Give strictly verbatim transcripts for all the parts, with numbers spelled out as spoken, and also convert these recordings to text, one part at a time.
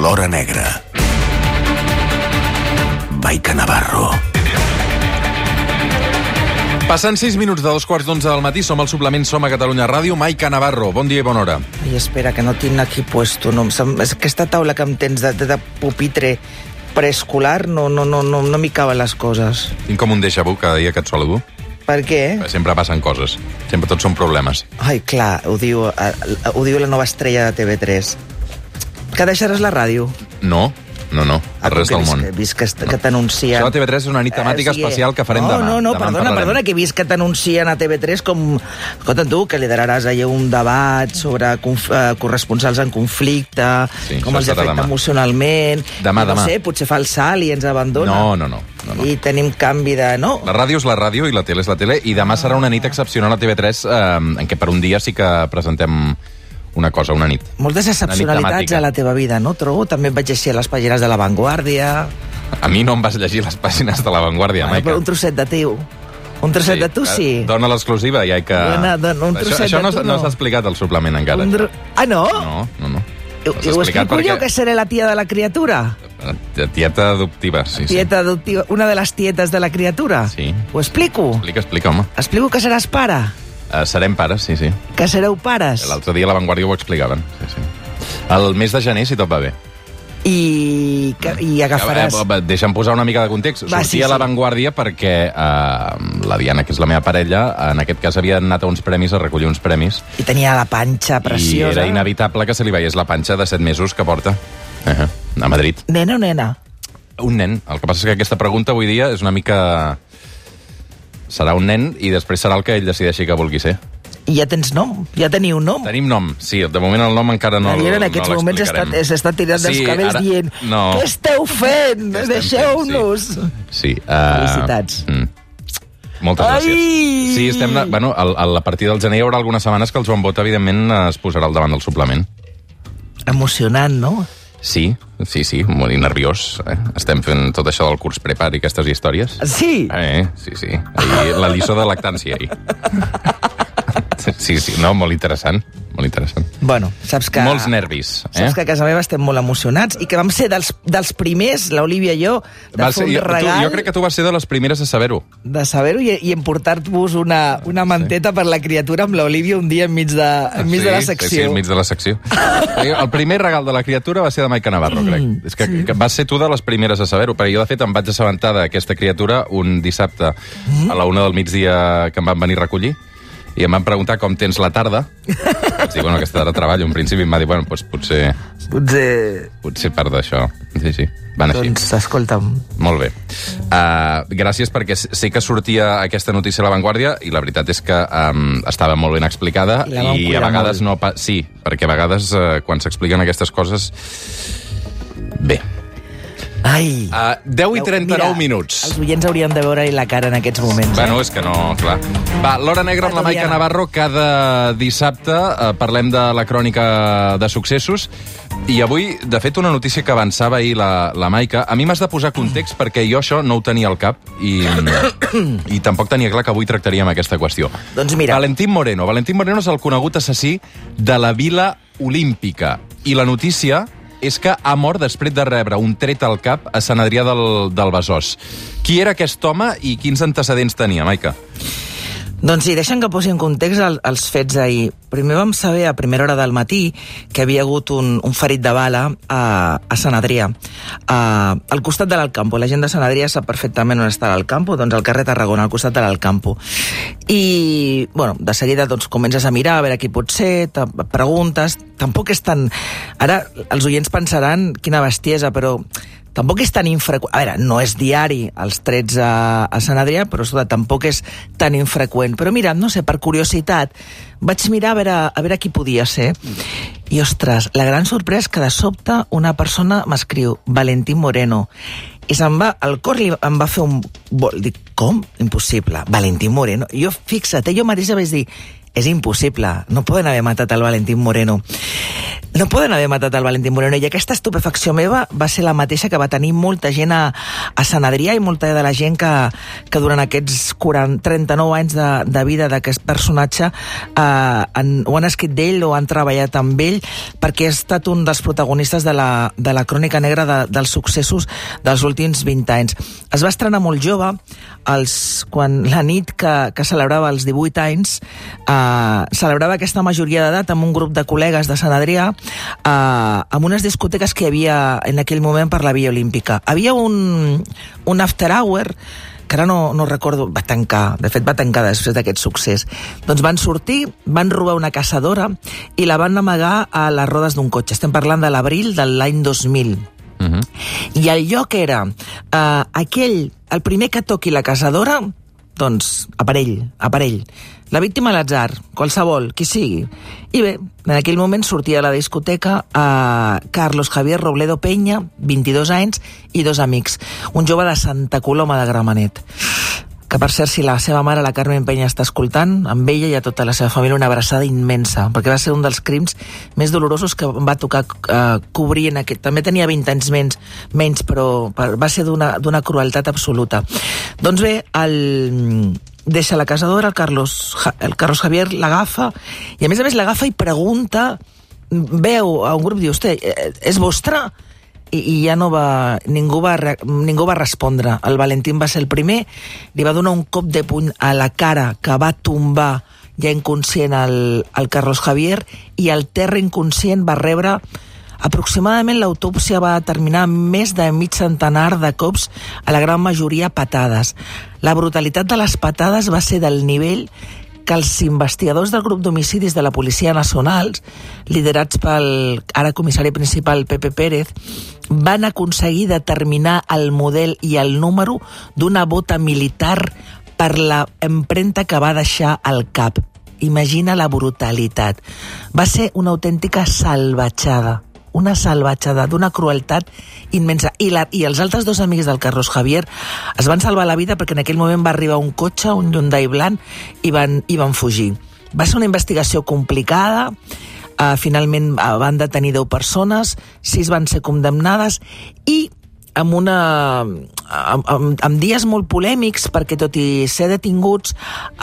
L'Hora Negra. Maica Navarro. Passen sis minuts de dos quarts d'onze del matí, som al suplement Som a Catalunya Ràdio. Maica Navarro, bon dia i bona hora. Ai, espera, que no tinc aquí puesto. No, és aquesta taula que em tens de, de, de pupitre preescolar, no, no, no, no, no m'hi caben les coses. Tinc com un déjà vu cada dia que et saludo. Per què? Sempre passen coses, sempre tots són problemes. Ai, clar, ho diu, ho diu la nova estrella de T V tres. Que deixaràs la ràdio? No, no, no, el rest del món. He vist que, que t'anuncien... Això a T V tres és una nit temàtica eh, sí, especial que farem no, demà. No, no, demà perdona, perdona, que he vist que t'anuncien a T V tres com... Escolta, tu, que lideraràs allà un debat sobre conf... uh, corresponsals en conflicte, sí, com els afecta demà. Emocionalment... Demà, no demà. No sé, potser fa el salt i ens abandona. No, no, no. No, no. I tenim canvi de... No. La ràdio és la ràdio i la tele és la tele, i demà serà una nit excepcional a T V tres eh, en què per un dia sí que presentem una cosa, una nit. Moltes excepcionalitats a la teva vida, no, trobo? També et vaig llegir a les pàgines de La Vanguardia... A mi no em vas llegir les pàgines de La Vanguardia, ah, Maica. Però un trosset de teu. Un trosset sí, de tu, sí. Dona l'exclusiva, ja que... Dona, dona, un trosset això, això no, de tu, no. no s'ha explicat al suplement encara. Dro... Ah, no? No, no, no. I ho explico perquè... jo, que seré la tia de la criatura? Tieta adoptiva, sí, sí. Tieta adoptiva, una de les tietes de la criatura? Sí. Ho explico? Explica, explica, home. Explico que seràs pare? Uh, serem pares, sí, sí. Que sereu pares? L'altre dia a La Vanguardia ho explicaven, sí, sí. El mes de gener, si tot va bé. I, i agafaràs... Eh, eh, deixa'm posar una mica de context. Va, Sortia sí, sí. a La Vanguardia perquè eh, la Diana, que és la meva parella, en aquest cas havia anat a uns premis, a recollir uns premis. I tenia la panxa preciosa. I era inevitable que se li veiés la panxa de set mesos que porta uh -huh, a Madrid. Nena o nena? Un nen. El que passa és que aquesta pregunta avui dia és una mica... Serà un nen i després serà el que ell decideixi que vulgui ser. I ja tens nom? Ja teniu nom? Tenim nom, sí. De moment el nom encara no, en aquests no moments s'està tirant dels sí, cabells ara... dient no. Què esteu fent? Deixeu-nos! Sí. sí uh... Felicitats. Mm. Moltes Ai! gràcies. Sí, estem... Bueno, a, a partir del gener hi haurà algunes setmanes que el Joan Bota, evidentment, es posarà al davant del suplement. Emocionant, no? Sí, sí, sí, molt nerviós. Eh? Estem fent tot això del curs prepar i aquestes històries. Sí? Eh, sí, sí. Ahir, la lliçó de lactància, ahir. Sí, sí, no, molt interessant, molt interessant. Bueno, saps que... Molts nervis. Eh? Saps que a casa meva estem molt emocionats i que vam ser dels, dels primers, l'Olivia i jo, de va fer un ser, regal... Tu, jo crec que tu vas ser de les primeres a saber-ho. De saber-ho i, i en portar-vos una, una manteta sí. per la criatura amb l'Olivia un dia enmig de, enmig sí, de la secció. Sí, sí, enmig de la secció. El primer regal de la criatura va ser de Maica Navarro, crec. Mm, És que, sí. que vas ser tu de les primeres a saber-ho, perquè jo, de fet, em vaig assabentar d'aquesta criatura un dissabte mm. a la una del migdia que em van venir a recollir, i em van preguntar com tens la tarda. Vaig dir, bueno, aquesta tarda treballo. En principi em va dir, bueno, doncs potser... Potser... Potser part d'això. Sí, sí. Van així. Doncs, escolta'm. Molt bé. Uh, gràcies, perquè sé que sortia aquesta notícia a La Vanguardia i la veritat és que um, estava molt ben explicada i, i a vegades molt. no... Sí, perquè a vegades uh, quan s'expliquen aquestes coses... Bé. Ai. Uh, deu i trenta-nou minuts. Els oients haurien de veure la cara en aquests moments. Bueno, eh? és que no, clar. Va, l'Hora Negra amb la Maica Navarro. Cada dissabte uh, parlem de la crònica de successos. I avui, de fet, una notícia que avançava ahir la, la Maica. A mi m'has de posar context perquè jo això no ho tenia al cap i, i tampoc tenia clar que avui tractaríem aquesta qüestió. Doncs mira. Valentín Moreno. Valentín Moreno és el conegut assassí de la Vila Olímpica. I la notícia és que ha mort després de rebre un tret al cap a Sant Adrià del, del Besòs. Qui era aquest home i quins antecedents tenia, Maica? Doncs sí, deixa'm que posi en context el, els fets d'ahir. Primer vam saber a primera hora del matí que havia hagut un, un ferit de bala a, a Sant Adrià, a, al costat de l'Alcampo. La gent de Sant Adrià sap perfectament on està l'Alcampo, doncs al carrer Tarragona, al costat de l'Alcampo. I, bueno, de seguida doncs, comences a mirar a veure qui pot ser, te preguntes... Tampoc és tan... Ara els oients pensaran quina bestiesa, però... Tampoc és tan infreqüent... A veure, no és diari els trets a, a Sant Adrià, però escolta, tampoc és tan infreqüent. Però mira, no sé, per curiositat, vaig mirar a veure, a veure qui podia ser. I, ostres, la gran sorpresa és que de sobte una persona m'escriu Valentín Moreno. I se'm va, el cor li, em va fer un... Dic, com? Impossible. Valentín Moreno. I jo, fixa't, jo mateixa vaig dir... és impossible. No poden haver matat el Valentín Moreno. No poden haver matat el Valentín Moreno. I aquesta estupefacció meva va ser la mateixa que va tenir molta gent a, a Sant Adrià i molta de la gent que, que durant aquests quaranta, trenta-nou anys de, de vida d'aquest personatge eh, han, o han escrit d'ell o han treballat amb ell, perquè ha estat un dels protagonistes de la, de la crònica negra de, dels successos dels últims vint anys. Es va estrenar molt jove, els, quan la nit que, que celebrava els divuit anys, eh, celebrava aquesta majoria d'edat amb un grup de col·legues de Sant Adrià, eh, amb unes discoteques que hi havia en aquell moment per la Via Olímpica. Havia un, un after hour que ara no, no recordo, va tancar, de fet va tancar després d'aquest succés. Doncs van sortir, van robar una caçadora i la van amagar a les rodes d'un cotxe. Estem parlant de l'abril de l'any dos mil. Uh-huh. I el lloc era eh, aquell, el primer que toqui la caçadora, doncs aparell, aparell. La víctima a l'atzar, qualsevol, qui sigui. I bé, en aquell moment sortia a la discoteca a Carlos Javier Robledo Peña, vint-i-dos anys, i dos amics. Un jove de Santa Coloma de Gramenet. Que, per cert, si la seva mare, la Carmen Peña, està escoltant, amb ella i a tota la seva família una abraçada immensa, perquè va ser un dels crims més dolorosos que va tocar eh, cobrir en aquest... També tenia vint anys menys, menys però va ser d'una d'una crueltat absoluta. Doncs bé, el... deixa la caçadora, el Carlos, el Carlos Javier l'agafa, i a més a més l'agafa i pregunta, veu a un grup, diu, hosti, és vostre? I, i ja no va ningú, va... ningú va respondre. El Valentín va ser el primer, li va donar un cop de puny a la cara que va tombar ja inconscient el, el Carlos Javier, i al terra inconscient va rebre aproximadament, l'autòpsia va determinar més de mig centenar de cops, a la gran majoria patades. La brutalitat de les patades va ser del nivell que els investigadors del grup d'homicidis de la Policia Nacional, liderats pel ara comissari principal Pepe Pérez, van aconseguir determinar el model i el número d'una bota militar per la empremta que va deixar al cap. Imagina la brutalitat. Va ser una autèntica salvatjada. Una salvatjada, d'una crueltat immensa. I, la, I els altres dos amics del Carlos Javier es van salvar la vida perquè en aquell moment va arribar un cotxe, un Hyundai blanc, i van, i van fugir. Va ser una investigació complicada, uh, finalment uh, van detenir deu persones, sis van ser condemnades, i amb, una, amb, amb, amb dies molt polèmics, perquè tot i ser detinguts,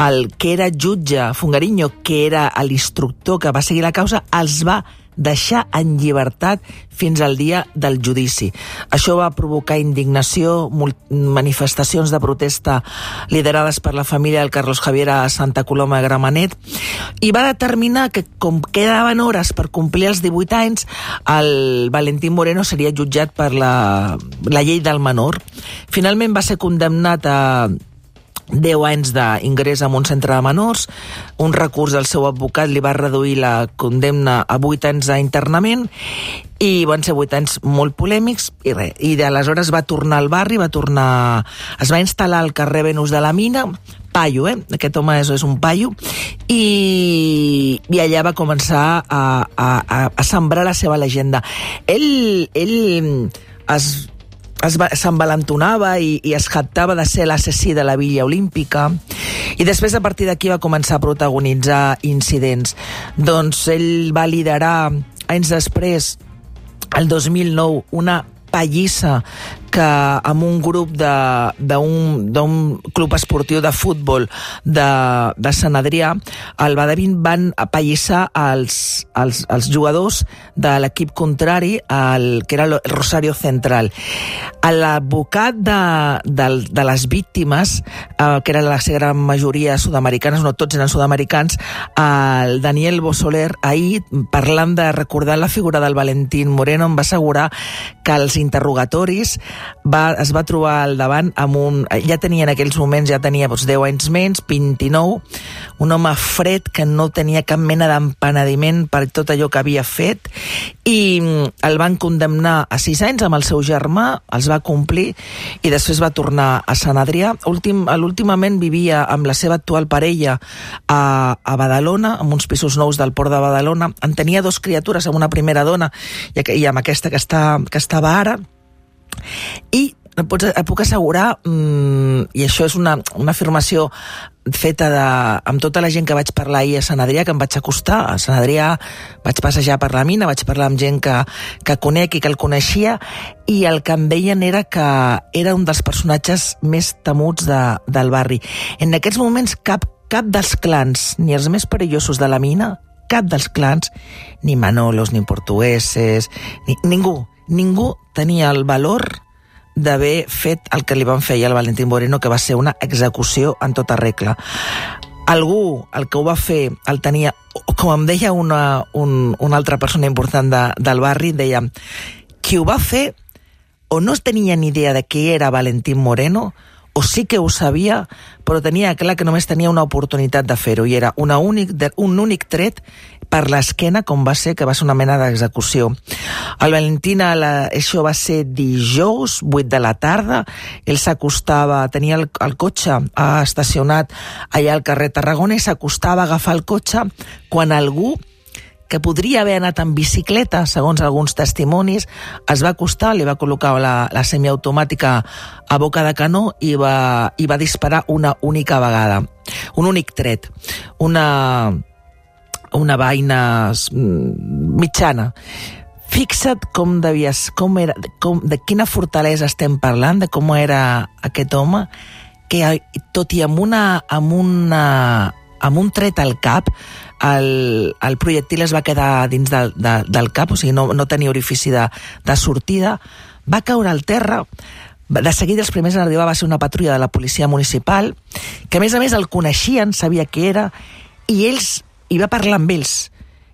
el que era jutge, Fungariño, que era l'instructor que va seguir la causa, els va deixar en llibertat fins al dia del judici. Això va provocar indignació, manifestacions de protesta liderades per la família del Carlos Javier a Santa Coloma de Gramenet, i va determinar que, com quedaven hores per complir els divuit anys, el Valentín Moreno seria jutjat per la, la llei del menor. Finalment va ser condemnat a deu anys d'ingrés en un centre de menors. Un recurs del seu advocat li va reduir la condemna a vuit anys d'internament, i van ser vuit anys molt polèmics, i res. I d'aleshores va tornar al barri, va tornar... es va instal·lar al carrer Venus de la Mina, paio, eh? Aquest home és, és un paio, i, i allà va començar a, a, a sembrar la seva llegenda. Ell, ell es... s'envalentonava i, i es jactava de ser l'assassí de la Villa Olímpica, i després a partir d'aquí va començar a protagonitzar incidents. Doncs ell va liderar anys després, el dos mil nou, una pallissa que amb un grup d'un club esportiu de futbol de, de Sant Adrià, el Badavin, van apallissar els, els, els jugadors de l'equip contrari, el, que era el Rosario Central. L'advocat de, de, de les víctimes, eh, que era la gran majoria sud-americanes, no tots eren sud-americans, el Daniel Bosoler, ahir, parlant de recordar la figura del Valentín Moreno, em va assegurar que els interrogatoris Va, es va trobar al davant amb un... Ja tenia en aquells moments, ja tenia doncs, deu anys menys, vint-i-nou, un home fred que no tenia cap mena d'empenediment per tot allò que havia fet, i el van condemnar a sis anys amb el seu germà, els va complir, i després va tornar a Sant Adrià. Últim, últimament vivia amb la seva actual parella a, a Badalona, amb uns pisos nous del port de Badalona. En tenia dos criatures, amb una primera dona i, i amb aquesta que, està, que estava ara. I et, pots, et puc assegurar, mmm, i això és una, una afirmació feta de, amb tota la gent que vaig parlar ahir a Sant Adrià, que em vaig acostar a Sant Adrià, vaig passejar per la mina, vaig parlar amb gent que, que conec i que el coneixia, i el que em deien era que era un dels personatges més temuts de, del barri. En aquests moments cap, cap dels clans, ni els més perillosos de la mina, cap dels clans, ni Manolos, ni portugueses, ni, ningú, ningú tenia el valor d'haver fet el que li van fer al Valentín Moreno, que va ser una execució en tota regla. Algú, el que ho va fer, el tenia, com em deia una, un, una altra persona important de, del barri, deia, qui ho va fer o no tenia ni idea de qui era Valentín Moreno, o sí que ho sabia, però tenia clar que només tenia una oportunitat de fer-ho, i era una únic, un únic tret per l'esquena, com va ser, que va ser una mena d'execució. El Valentín, la, això va ser dijous, vuit de la tarda, ell s'acostava, tenia el, el cotxe eh, estacionat allà al carrer Tarragona, i s'acostava a agafar el cotxe quan algú que podria haver anat en bicicleta, segons alguns testimonis, es va acostar, li va col·locar la, la semiautomàtica a boca de canó i va, i va disparar una única vegada. Un únic tret. Una, una vaina mitjana. Fixa't com devies, com era, com, de quina fortalesa estem parlant, de com era aquest home, que tot i amb una... amb una amb un tret al cap, el, el projectil es va quedar dins del, de, del cap, o sigui, no, no tenia orifici de, de sortida, va caure al terra. De seguida els primers en arribar va ser una patrulla de la policia municipal, que a més a més el coneixien, sabia qui era, i ells, i va parlar amb ells,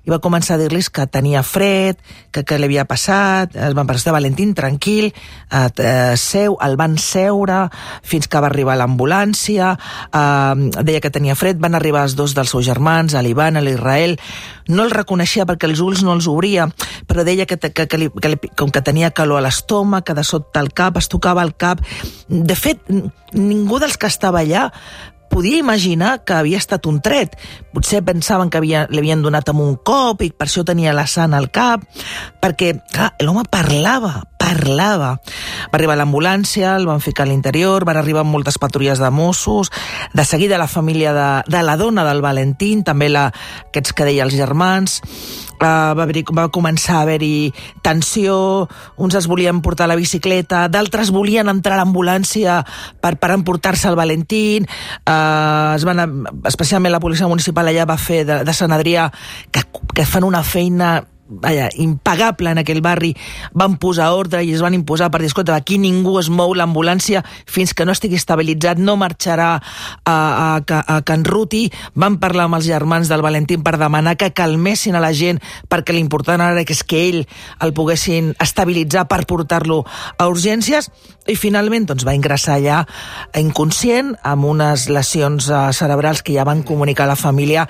i va començar a dir-los que tenia fred, que què li havia passat, el van prestar Valentín, tranquil, eh, eh, seu, el van seure fins que va arribar l'ambulància, eh, deia que tenia fred, van arribar els dos dels seus germans, l'Ivan, l'Israel, no el reconeixia perquè els ulls no els obria, però deia que, que, que, li, que li, com que tenia calor a l'estómac, que de sota el cap, es tocava el cap. De fet, ningú dels que estava allà podia imaginar que havia estat un tret. Potser pensaven que havia, li havien donat amb un cop i per això tenia la sana al cap, perquè, clar, l'home parlava, parlava. Va arribar l'ambulància, el van ficar a l'interior, van arribar moltes patrulles de Mossos, de seguida la família de, de la dona del Valentín, també la, aquests que deia els germans, Uh, va, haver, va començar a haver-hi tensió, uns es volien portar la bicicleta, d'altres volien entrar a l'ambulància per, per emportar-se el Valentín, uh, es van, especialment la policia municipal allà va fer de, de Sant Adrià, que, que fan una feina vaja, impagable en aquell barri, van posar ordre i es van imposar per dir, escolta, aquí ningú es mou, l'ambulància fins que no estigui estabilitzat, no marxarà a, a, a, a Can Ruti. Van parlar amb els germans del Valentín per demanar que calmessin a la gent, perquè l'important ara és que ell el poguessin estabilitzar per portar-lo a urgències, i finalment doncs, va ingressar allà inconscient, amb unes lesions cerebrals que ja van comunicar a la família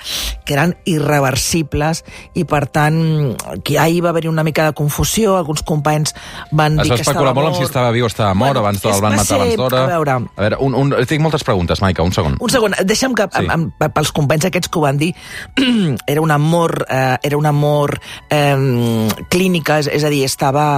que eren irreversibles, i per tant que ahir va haver-hi una mica de confusió, alguns companys van dir que estava mort. Es va especular molt amb si estava viu o estava mort, bueno, abans el van matar abans d'hora. A veure, a veure un, un, tinc moltes preguntes, Maica, un segon. Un segon, deixa'm que sí. amb, amb, pels companys aquests que ho van dir, era un amor, eh, era un amor eh, clínica, és, és a dir, estava...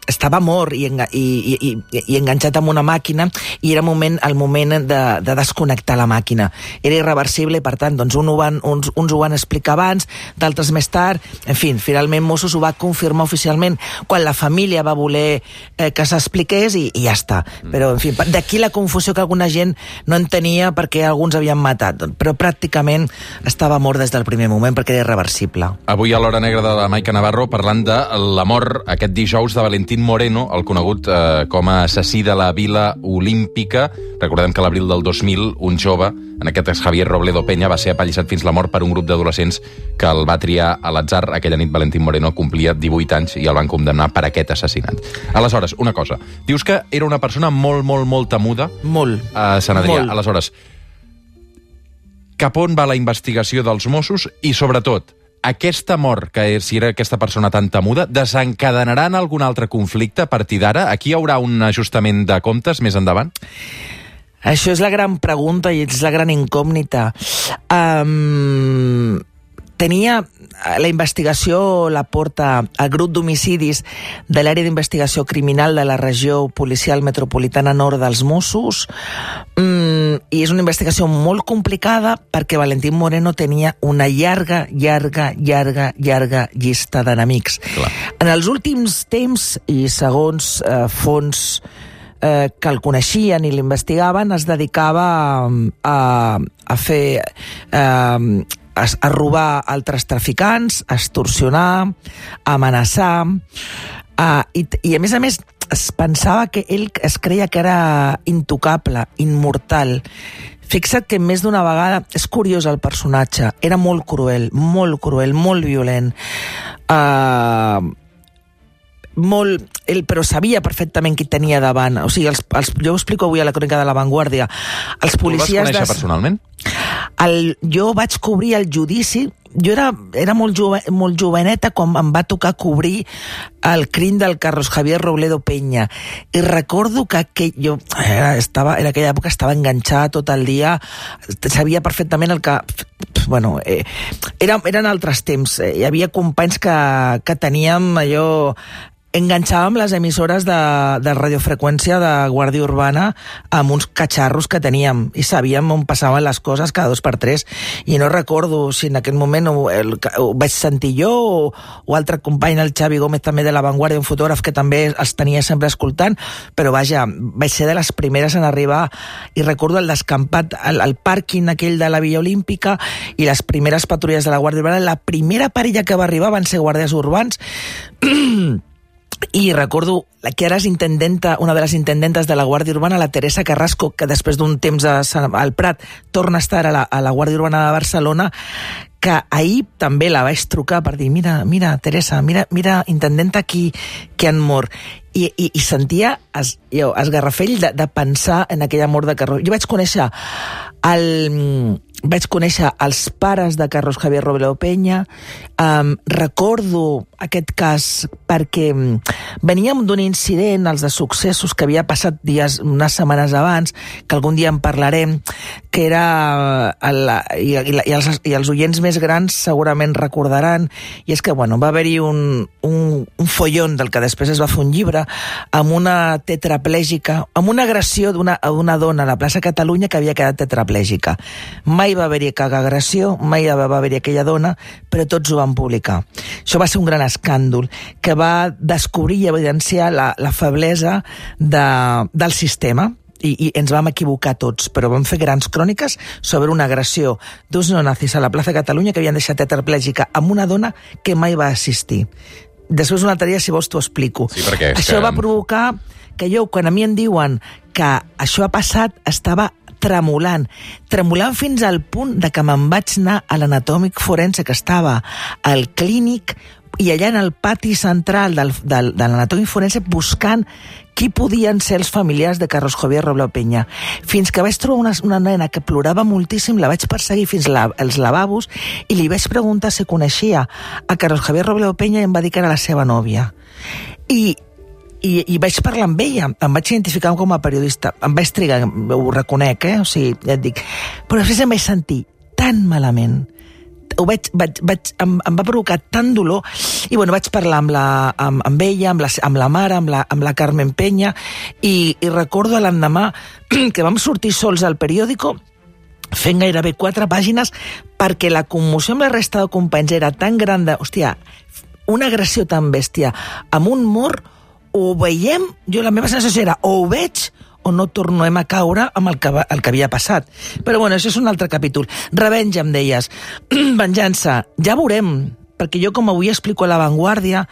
estava mort i, enga, i, i, i enganxat amb una màquina, i era moment, el moment de, de desconnectar la màquina. Era irreversible, i per tant, doncs, un ho van, uns, uns ho van explicar abans, d'altres més tard. En fi, finalment Mossos ho va confirmar oficialment quan la família va voler eh, que s'expliqués, i, i ja està. Però, en fi, d'aquí la confusió que alguna gent no entenia perquè alguns havien matat. Però pràcticament estava mort des del primer moment perquè era irreversible. Avui a l'Hora Negra de la Maica Navarro parlant de la mort aquest dijous de Valentín Moreno, el conegut eh, com a assassí de la Vila Olímpica. Recordem que a l'abril del dos mil un jove, en aquest cas Javier Robledo Peña, va ser apallissat fins la mort per un grup d'adolescents que el va triar a l'atzar. Aquella nit Valentín Moreno complia divuit anys i el van condemnar per aquest assassinat. Aleshores, una cosa. Dius que era una persona molt, molt, molt temuda molt, a Sant Adrià. Molt. Aleshores, cap on va la investigació dels Mossos i, sobretot, aquesta mort, que si era aquesta persona tan temuda, desencadenarà en algun altre conflicte a partir d'ara? Aquí hi haurà un ajustament de comptes més endavant? Això és la gran pregunta i és la gran incògnita. Um, tenia... la investigació la porta el grup d'homicidis de l'àrea d'investigació criminal de la regió policial metropolitana nord dels Mossos, mm, i és una investigació molt complicada perquè Valentín Moreno tenia una llarga, llarga, llarga, llarga llista d'enemics. En els últims temps, i segons eh, fons eh, que el coneixien i l'investigaven, es dedicava a, a, a fer... Eh, a, a robar altres traficants, a extorsionar, a amenaçar, a, i, i a més a més es pensava que ell es creia que era intocable, immortal. Fixa't que més d'una vegada, és curiós el personatge, era molt cruel, molt cruel, molt violent, uh, molt, ell, però sabia perfectament qui tenia davant. O sigui, els, els, jo ho explico avui a la crònica de La Vanguardia. Els policies... Tu vas conèixer de... personalment? El, jo vaig cobrir el judici. Jo era, era molt, jove, molt joveneta quan em va tocar cobrir el crim del Carlos Javier Robledo Peña. I recordo que, que jo era, estava, en aquella època estava enganxada tot el dia, sabia perfectament el que... Bueno, eh, era, eren altres temps. Hi havia companys que, que teníem allò... enganxàvem les emissores de, de radiofreqüència de Guàrdia Urbana amb uns catxarros que teníem i sabíem on passaven les coses cada dos per tres, i no recordo si en aquell moment ho, el, ho vaig sentir jo o, o altre company, el Xavi Gómez, també de La Vanguardia, un fotògraf que també els tenia sempre escoltant, però vaja, vaig ser de les primeres en arribar, i recordo el descampat, el, el pàrquing aquell de la Villa Olímpica i les primeres patrulles de la Guàrdia Urbana. La primera parella que va arribar van ser guàrdies urbans. I recordo que eres intendenta, una de les intendentes de la Guàrdia Urbana, la Teresa Carrasco, que després d'un temps a, al Prat torna a estar a la, a la Guàrdia Urbana de Barcelona, que ahir també la vaig trucar per dir, mira, mira, Teresa, mira, mira intendenta, qui, qui han mort. I, i, i sentia es, jo, esgarrafell de, de pensar en aquella mort de Carlos. Jo vaig conèixer el... Vaig conèixer els pares de Carlos Javier Robledo Peña. Um, recordo aquest cas perquè veníem d'un incident, els de successos, que havia passat dies, unes setmanes abans, que algun dia en parlarem, que era... El, i, i, i, els, i els oients més grans segurament recordaran, i és que, bueno, va haver-hi un, un, un follon del que després es va fer un llibre, amb una tetraplègica, amb una agressió d'una una dona a la plaça Catalunya que havia quedat tetraplègica. Mai va haver-hi cap agressió, mai va haver-hi aquella dona, però tots ho van publicar. Això va ser un gran escàndol que va descobrir i evidenciar la, la feblesa de, del sistema, i, i ens vam equivocar tots, però vam fer grans cròniques sobre una agressió d'uns neonazis a la plaça Catalunya que havien deixat tetraplègica amb una dona que mai va assistir. Després un altre dia, si vols, t'ho explico. Sí, perquè això que... va provocar que jo, quan a mi em diuen que això ha passat, estava tremolant, tremolant fins al punt de que me'n vaig anar a l'anatòmic forense que estava al clínic i allà en el pati central del, del, de l'anatòmic forense buscant qui podien ser els familiars de Carlos Javier Robledo Peña. Fins que vaig trobar una, una nena que plorava moltíssim, la vaig perseguir fins la, als lavabos i li vaig preguntar si coneixia a Carlos Javier Robledo Peña i em va dir que era la seva nòvia. I I, i vaig parlar amb ella, em vaig identificar com a periodista, em vaig trigar, ho reconec, eh? O sigui, ja et dic, però després em vaig sentir tan malament, ho vaig, vaig, vaig, em, em va provocar tant dolor, i bueno, vaig parlar amb, la, amb, amb ella, amb la, amb la mare, amb la, amb la Carmen Peña, i, i recordo l'endemà que vam sortir sols al periòdico, fent gairebé quatre pàgines, perquè la commoció amb la resta de companys era tan gran de, hòstia, una agressió tan bèstia, amb un mort, o ho veiem, jo la meva sensació era o ho veig o no tornem a caure amb el que, va, el que havia passat. Però bueno, això és un altre capítol. Revenge, em deies. Venjança, ja veurem, perquè jo, com avui explico a La Vanguardia,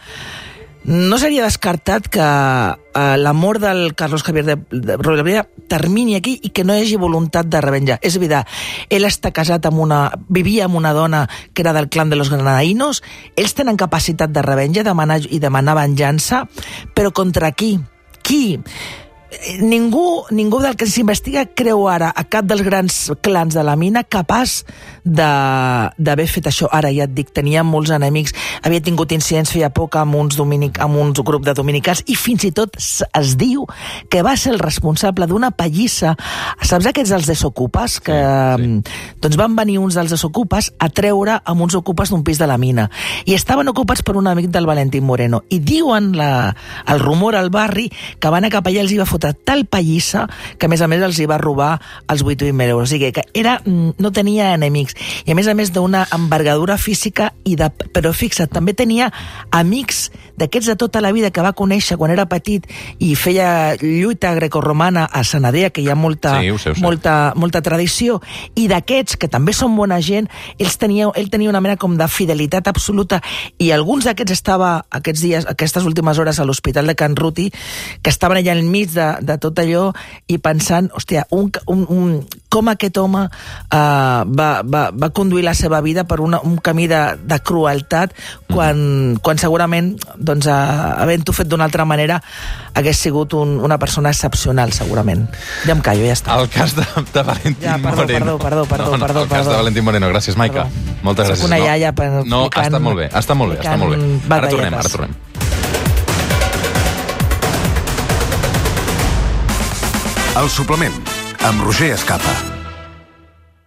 no seria descartat que eh, la mort del Carlos Javier de, de Robledo termini aquí i que no hi hagi voluntat de revenja. És veritat, ell està casat amb una... vivia amb una dona que era del clan de los granadinos, ells tenen capacitat de revenja demanar, i demanar venjança, però contra qui? Qui? ningú, ningú del que s'investiga creu ara a cap dels grans clans de la mina capaç d'haver fet això. Ara ja et dic, tenia molts enemics, havia tingut incidents feia poc amb uns, dominic, amb uns grup de dominicans, i fins i tot es diu que va ser el responsable d'una pallissa. Saps aquests dels desocupes? Que sí, sí. Doncs van venir uns dels desocupes a treure amb uns ocupes d'un pis de la mina. I estaven ocupats per un amic del Valentín Moreno. I diuen la, el rumor al barri que van a cap allà, els hi va fotre tal pallissa que a més a més els hi va robar els vuit mil euros. O sigui que era, no tenia enemics. I a més a més d'una envergadura física, i de, però fixa't, també tenia amics d'aquests de tota la vida que va conèixer quan era petit i feia lluita grecorromana a Sanadea, que hi ha molta, sí, sé, molta, molta tradició, i d'aquests que també són bona gent, ells tenia, ell tenia una mena com de fidelitat absoluta, i alguns d'aquests estava aquests dies, aquestes últimes hores a l'Hospital de Can Ruti, que estaven allà enmig de, de tot allò i pensant, hòstia, un, un, un, com aquest home uh, va, va, va conduir la seva vida per una, un camí de, de crueltat quan, mm. quan segurament, doncs, uh, havent-ho fet d'una altra manera, hagués sigut un, una persona excepcional, segurament. Ja em callo, ja està. El cas de, de Valentín ja, perdó, Moreno. Perdó, perdó, perdó, no, no, perdó. El cas perdó. de Valentín Moreno. Gràcies, Maica. Perdó. Moltes gràcies. Soc una no, iaia per no, ha estat molt bé, ha estat molt bé, està molt bé. Ara tornem, ara tornem. El suplement, amb Roger Escapa.